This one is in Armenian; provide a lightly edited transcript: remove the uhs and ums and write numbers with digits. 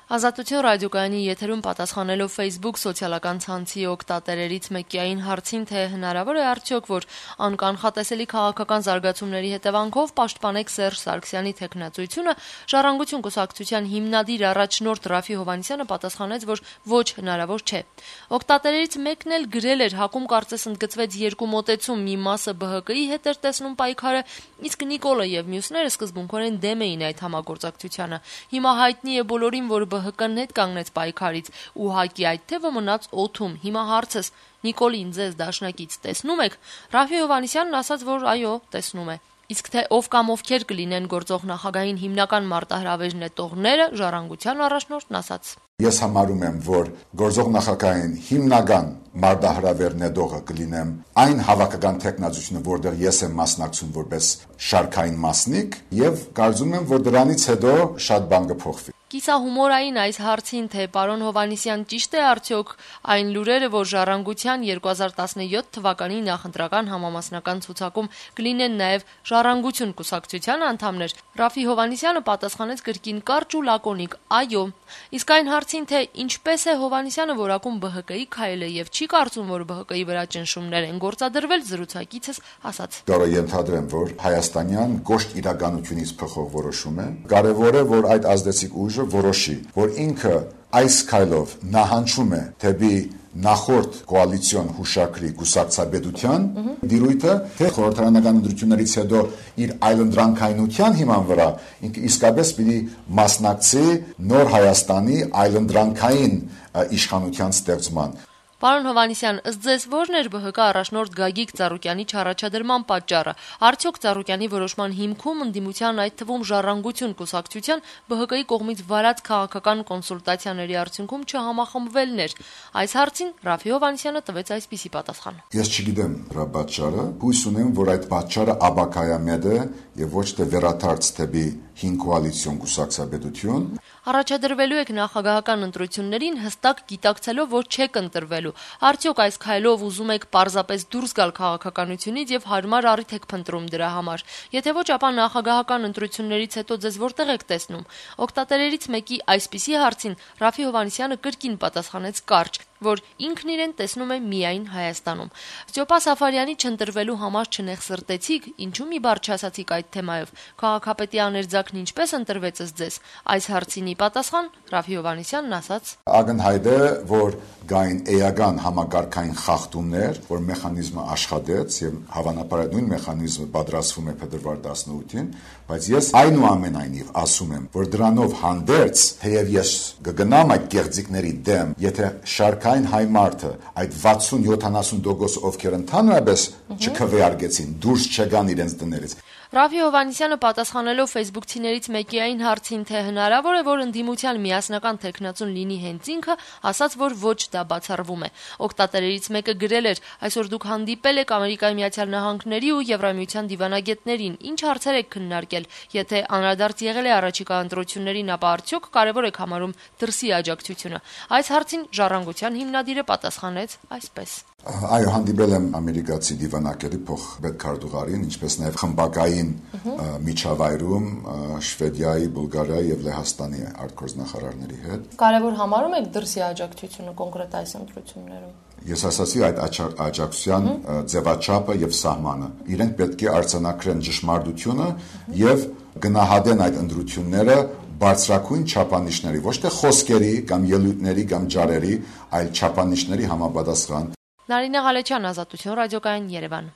Ազատություն ռադիոկայանի եթերում պատասխանելով Facebook սոցիալական ցանցի օգտատերերից մեկի հարցին, թե հնարավոր է արդյոք, որ անկանխատեսելի քաղաքական զարգացումների հետևանքով պաշտպանեք Սերժ Սարգսյանի թեկնածությունը, Ժառանգություն կուսակցության հիմնադիր առաջնորդ Ռաֆի Հովհաննիսյանը պատասխանեց, որ ոչ, հնարավոր չէ։ Օգտատերերից մեկն էլ գրել էր, հակում կարծես ընդգծվեց երկու մոտեցում, մի մասը ԲՀԿ-ի հետ էր տեսնում պայքարը, իսկ Նիկոլը եւ մյուսները սկզբունքորեն դեմ էին այդ համագործակցությանը։ Հիմա հայտնի է բոլորին, որ ԲՀԿ-ն հետ կանգնեց պայքարից, ուղղակի այդ թեւը մնաց օդում։ Հիմա հարցս՝ Նիկոլին ձեզ դաշնակից տեսնում եք։ Ռաֆի Հովհաննիսյանն ասաց, որ այո, տեսնում է։ Իսկ թե ով կամ ովքեր կլինեն գործող նախագահին հիմնական մարտահրավեր նետողները, Ժառանգության առաջնորդն ասաց. Ես համարում եմ, որ գործող նախագահային հիմնական մարտահրավեր նետողը կլինեմ այն հավաքական տեխնազությունը, որտեղ ես եմ մասնակցում որպես շարքային մասնիկ, եւ կարծում եմ, որ դրանից հետո շատ բան կփոխվի։ Կիսահումորային այս հարցին, թե պարոն Հովհաննիսյան ճիշտ է արդյոք այն լուրերը, որ Ժառանգության 2017 թվականի նախընտրական համամասնական ցուցակում կլինեն նաև Ժառանգություն կուսակցության անդամներ, Ռաֆի Հովհաննիսյանը պատասխանեց կրկին կարճ ու լակոնիկ՝ այո։ Իսկ այն հարցին, թե ինչպես է Հովհաննիսյանը որակում ԲՀԿ-ի քայլը եւ չի կարծում, որ ԲՀԿ-ի վրա ճնշումներ են գործադրվել, զրուցակիցս ասաց. Կարող ենթադրեմ, որ հայաստանյան կոշտ իրականությունից փոխող որոշում է։ Կարևոր է, որ այդ ազդեցիկ ուժը որոշի, որ ինքը այս քայլով նահանջում է դեպի նախորդ կոալիցիոն հուշակրի կուսակցաբեդության դիրույթը, թե խորհրդարանական ընտրություններից հետո իր այլընտրանքայնության հիման վրա ինքը իսկապես պիտի մասնակցի նոր Հայաստանի այլընտրանքային իշխանության ստեղծման։ Պարոն Հովհաննիսյան, ըստ ձեզ ո՞րն էր ԲՀԿ առաջնորդ Գագիկ Ծառուկյանի չառաջադրման պատճառը։ Արդյոք Ծառուկյանի որոշման հիմքում ընդդիմության, այդ թվում Ժառանգություն կուսակցության ԲՀԿ-ի կողմից վարած քաղաքական կոնսուլտացիաների արդյունքում չհամախմբվելն էր։ Այս հարցին Ռաֆի Հովհաննիսյանը տվեց այսպիսի պատասխան. Ես չգիտեմ դրա պատճառը, հույս ունեմ, որ այդ պատճառը աբակայամետ է եւ ոչ թե վերադարձ դեպի հին կոալիցիոն կուսակցաբեդություն։ Առաջադրվելու եք նախագահական ընտրություններին հստակ գիտակցելով, որ չեք ընտրվելու։ Արդյոք այս քայլով ուզում եք պարզապես դուրս գալ քաղաքականությունից եւ հարմար առիթ եք փնտրում դրա համար։ Եթե ոչ, ապա նախագահական ընտրություններից հետո ձեզ որտեղ եք տեսնում։ Օգտատերերից մեկի այսպիսի հարցին Ռաֆի Հովհաննիսյանը կրկին պատասխանեց կարճ, որ ինքն իրեն տեսնում է միայն Հայաստանում։ Ստյոպա Սաֆարյանի չընտրվելու համար չնեղսրտեցիք, ինչու մի բառ չասացիք այդ թեմայով։ Քաղաքապետի աներձակն ինչպես ընտրվեց ըստ ձեզ։ Այս հարցինի պատասխան Ռաֆի Հովհաննիսյանն ասաց. Ակնհայտ է, որ գային էական համակարգային խախտումներ, որ մեխանիզմը աշխատեց եւ հավանաբար այդ նույն մեխանիզմը պատրաստվում է փետրվար 18-ին, բայց ես այնուամենայնիվ ասում եմ, որ դրանով հանդերձ, թեև ես կգնամ այդ կեղծիքների դեմ, եթե շարքային հայ մարդը այդ 60-70% ովքեր ընդհանրապես չքվեարկեցին, դուրս չգան իրենց տներից։ Ռաֆի Հովհաննիսյանը պատասխանելով ֆեյսբուքցիներից մեկի այն հարցին, թե հնարավոր է, որ ընդդիմության միասնական թեկնածուն լինի հենց ինքը, ասաց, որ ոչ, դա բացառվում է։ Օգտատերերից մեկը գրել էր. այսօր դուք հանդիպել եք Ամերիկայի Միացյալ Նահանգների ու Եվրամիության դիվանագետներին, ինչ հարցեր եք քննարկել, եթե անդրադարձ եղել է առաջիկա ընտրություններին, ապա արդյոք կարևոր եք համարում դրսի աջակցությունը։ Այս հարցին Ժառանգության հիմնադիրը պատասխանեց այսպես. Այո, հանդիպել եմ ամերիկացի դիվանագետի փոխպետքարտուղարին, ինչպես նաև խմբակային միջավայրում Շվեդիայի, Բուլղարիայի եւ Լեհաստանի արտգործնախարարների հետ։ Կարևոր համարում եք դրսի աջակցությունը կոնկրետ այս ընտրություններում։ Ես ասացի այդ աջակցության ձևաչափը եւ սահմանը։ Իրենք պետք է արձանագրեն ճշմարտությունը եւ գնահատեն այդ ընտրությունները բարձրակույն չափանիշների, ոչ թե խոսքերի կամ ելույթների կամ ջարերի, այլ չափանիշների համապատասխան։ Նարինե Ղալեչյան, Ազատություն ռադիոկայան, Երևան։